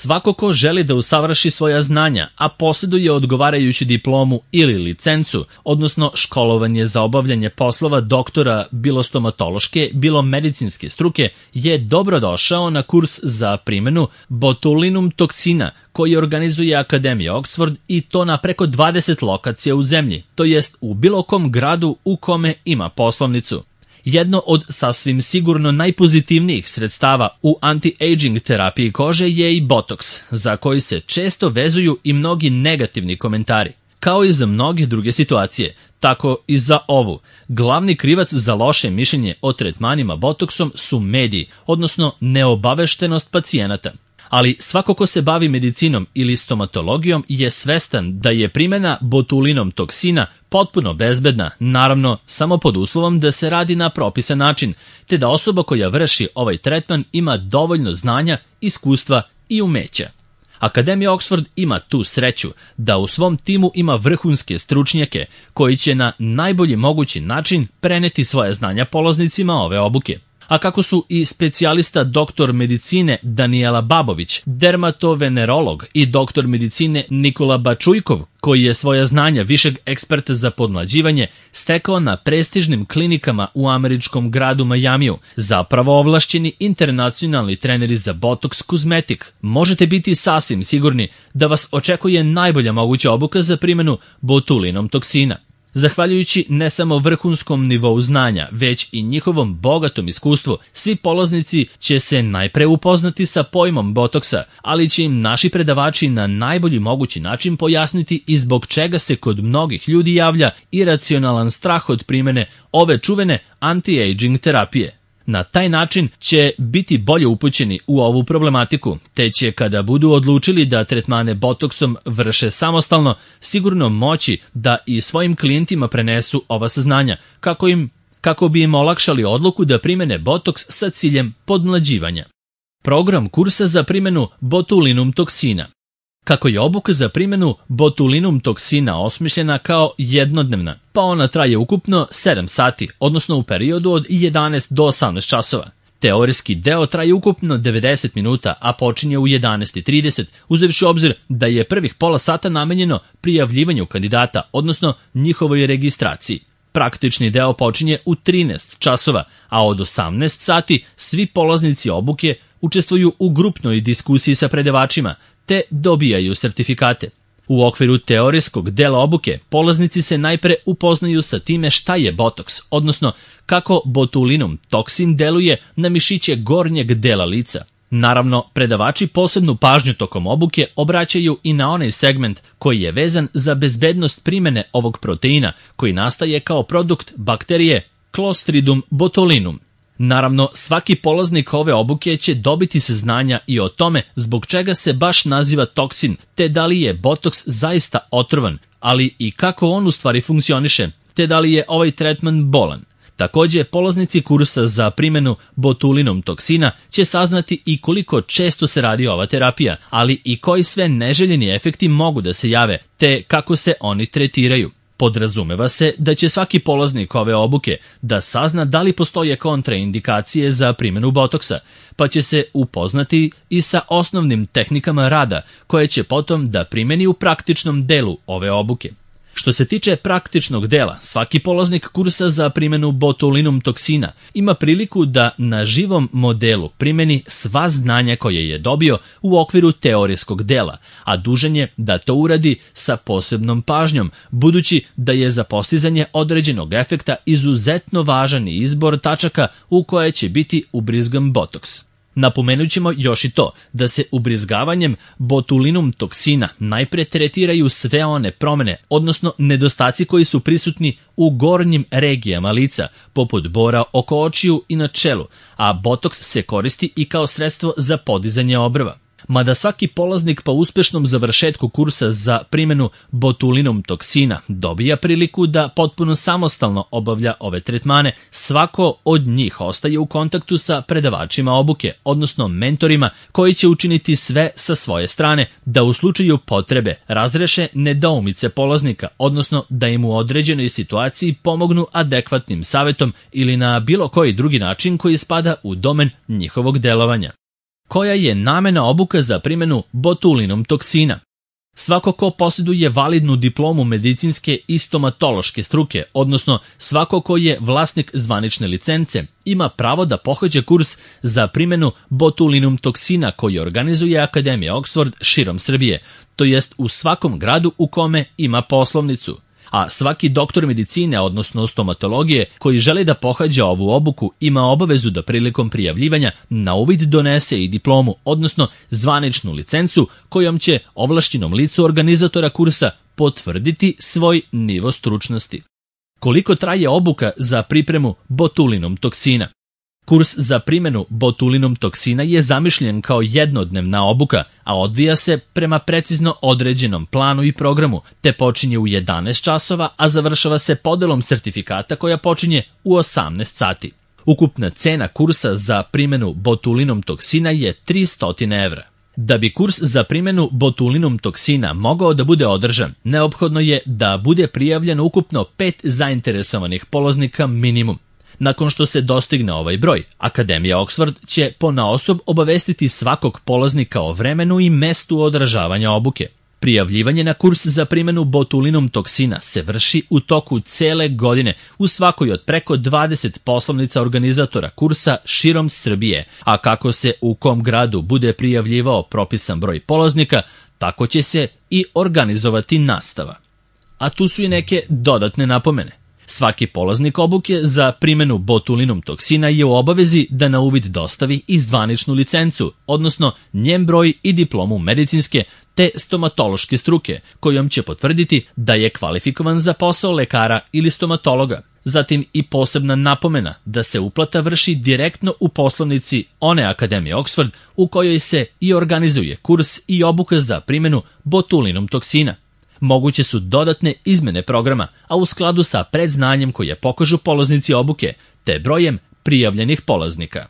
Svako ko želi da usavrši svoja znanja, a posjeduje odgovarajuću diplomu ili licencu, odnosno školovanje za obavljanje poslova doktora bilo stomatološke, bilo medicinske struke, je dobrodošao na kurs za primjenu botulinum toksina koji organizuje Akademija Oxford i to na preko 20 lokacija u zemlji, to jest u bilo kom gradu u kome ima poslovnicu. Jedno od sasvim sigurno najpozitivnijih sredstava u anti-aging terapiji kože je i botoks, za koji se često vezuju i mnogi negativni komentari. Kao i za mnoge druge situacije, tako i za ovu. Glavni krivac za loše mišljenje o tretmanima botoksom su mediji, odnosno neobaveštenost pacijenata. Ali svako ko se bavi medicinom ili stomatologijom je svestan da je primjena botulinom toksina potpuno bezbedna, naravno samo pod uslovom da se radi na propisan način, te da osoba koja vrši ovaj tretman ima dovoljno znanja, iskustva i umeća. Akademija Oxford ima tu sreću da u svom timu ima vrhunske stručnjake koji će na najbolji mogući način preneti svoje znanja polaznicima ove obuke. A kako su i specijalista doktor medicine Danijela Babović, dermatovenerolog i doktor medicine Nikola Bačujkov, koji je svoja znanja višeg eksperta za podmlađivanje stekao na prestižnim klinikama u američkom gradu Majamiju, zapravo ovlašćeni internacionalni treneri za botoks kozmetik, možete biti sasvim sigurni da vas očekuje najbolja moguća obuka za primjenu botulinom toksina. Zahvaljujući ne samo vrhunskom nivou znanja, već i njihovom bogatom iskustvu, svi polaznici će se najpre upoznati sa pojmom botoksa, ali će im naši predavači na najbolji mogući način pojasniti i zbog čega se kod mnogih ljudi javlja iracionalan strah od primjene ove čuvene anti-aging terapije. Na taj način će biti bolje upućeni u ovu problematiku, te će kada budu odlučili da tretmane botoksom vrše samostalno, sigurno moći da i svojim klijentima prenesu ova saznanja, kako bi im olakšali odluku da primjene botoks sa ciljem podmlađivanja. Program kursa za primjenu botulinum toksina. Kako je obuka za primjenu botulinum toksina osmišljena kao jednodnevna, pa ona traje ukupno 7 sati, odnosno u periodu od 11 do 18 časova. Teorijski deo traje ukupno 90 minuta, a počinje u 11:30, uzevši u obzir da je prvih pola sata namenjeno prijavljivanju kandidata, odnosno njihovoj registraciji. Praktični deo počinje u 13 časova, a od 18 sati svi polaznici obuke učestvuju u grupnoj diskusiji sa predavačima, te dobijaju sertifikate. U okviru teorijskog dela obuke polaznici se najpre upoznaju sa time šta je botoks, odnosno kako botulinum toksin deluje na mišiće gornjeg dela lica. Naravno, predavači posebnu pažnju tokom obuke obraćaju i na onaj segment koji je vezan za bezbednost primjene ovog proteina koji nastaje kao produkt bakterije Clostridium botulinum. Naravno, svaki polaznik ove obuke će dobiti saznanja i o tome zbog čega se baš naziva toksin, te da li je botoks zaista otrovan, ali i kako on u stvari funkcioniše, te da li je ovaj tretman bolan. Također, polaznici kursa za primjenu botulinom toksina će saznati i koliko često se radi ova terapija, ali i koji sve neželjeni efekti mogu da se jave, te kako se oni tretiraju. Podrazumeva se da će svaki polaznik ove obuke da sazna da li postoje kontraindikacije za primjenu botoksa, pa će se upoznati i sa osnovnim tehnikama rada koje će potom da primjeni u praktičnom delu ove obuke. Što se tiče praktičnog dela, svaki polaznik kursa za primjenu botulinum toksina ima priliku da na živom modelu primjeni sva znanja koje je dobio u okviru teorijskog dela, a dužan je da to uradi sa posebnom pažnjom, budući da je za postizanje određenog efekta izuzetno važan izbor tačaka u koje će biti ubrizgan botoks. Napomenut ćemo još i to da se ubrizgavanjem botulinum toksina najpre tretiraju sve one promjene, odnosno nedostaci koji su prisutni u gornjim regijama lica, poput bora oko očiju i na čelu, a botoks se koristi i kao sredstvo za podizanje obrva. Mada svaki polaznik po uspešnom završetku kursa za primjenu botulinum toksina dobija priliku da potpuno samostalno obavlja ove tretmane, svako od njih ostaje u kontaktu sa predavačima obuke, odnosno mentorima koji će učiniti sve sa svoje strane da u slučaju potrebe razreše nedoumice polaznika, odnosno da im u određenoj situaciji pomognu adekvatnim savjetom ili na bilo koji drugi način koji spada u domen njihovog delovanja. Koja je namena obuka za primjenu botulinum toksina? Svako ko posjeduje validnu diplomu medicinske i stomatološke struke, odnosno svako ko je vlasnik zvanične licence, ima pravo da pohađa kurs za primjenu botulinum toksina koji organizuje Akademija Oxford širom Srbije, to jest u svakom gradu u kome ima poslovnicu. A svaki doktor medicine, odnosno stomatologije, koji želi da pohađa ovu obuku, ima obavezu da prilikom prijavljivanja na uvid donese i diplomu, odnosno zvaničnu licencu kojom će ovlašćenom licu organizatora kursa potvrditi svoj nivo stručnosti. Koliko traje obuka za pripremu botulinum toksina? Kurs za primjenu botulinum toksina je zamišljen kao jednodnevna obuka, a odvija se prema precizno određenom planu i programu, te počinje u 11 časova, a završava se podelom sertifikata koja počinje u 18 sati. Ukupna cena kursa za primjenu botulinum toksina je 300 evra. Da bi kurs za primjenu botulinum toksina mogao da bude održan, neophodno je da bude prijavljeno ukupno 5 zainteresovanih polaznika minimum. Nakon što se dostigne ovaj broj, Akademija Oxford će ponaosob obavestiti svakog polaznika o vremenu i mestu održavanja obuke. Prijavljivanje na kurs za primjenu botulinum toksina se vrši u toku cele godine u svakoj od preko 20 poslovnica organizatora kursa širom Srbije, a kako se u kom gradu bude prijavljivao propisan broj polaznika, tako će se i organizovati nastava. A tu su i neke dodatne napomene. Svaki polaznik obuke za primjenu botulinum toksina je u obavezi da na uvid dostavi i zvaničnu licencu, odnosno njen broj i diplomu medicinske te stomatološke struke, kojom će potvrditi da je kvalifikovan za posao lekara ili stomatologa. Zatim i posebna napomena da se uplata vrši direktno u poslovnici one Akademije Oxford u kojoj se i organizuje kurs i obuka za primjenu botulinum toksina. Moguće su dodatne izmene programa, a u skladu sa predznanjem koje pokažu polaznici obuke, te brojem prijavljenih polaznika.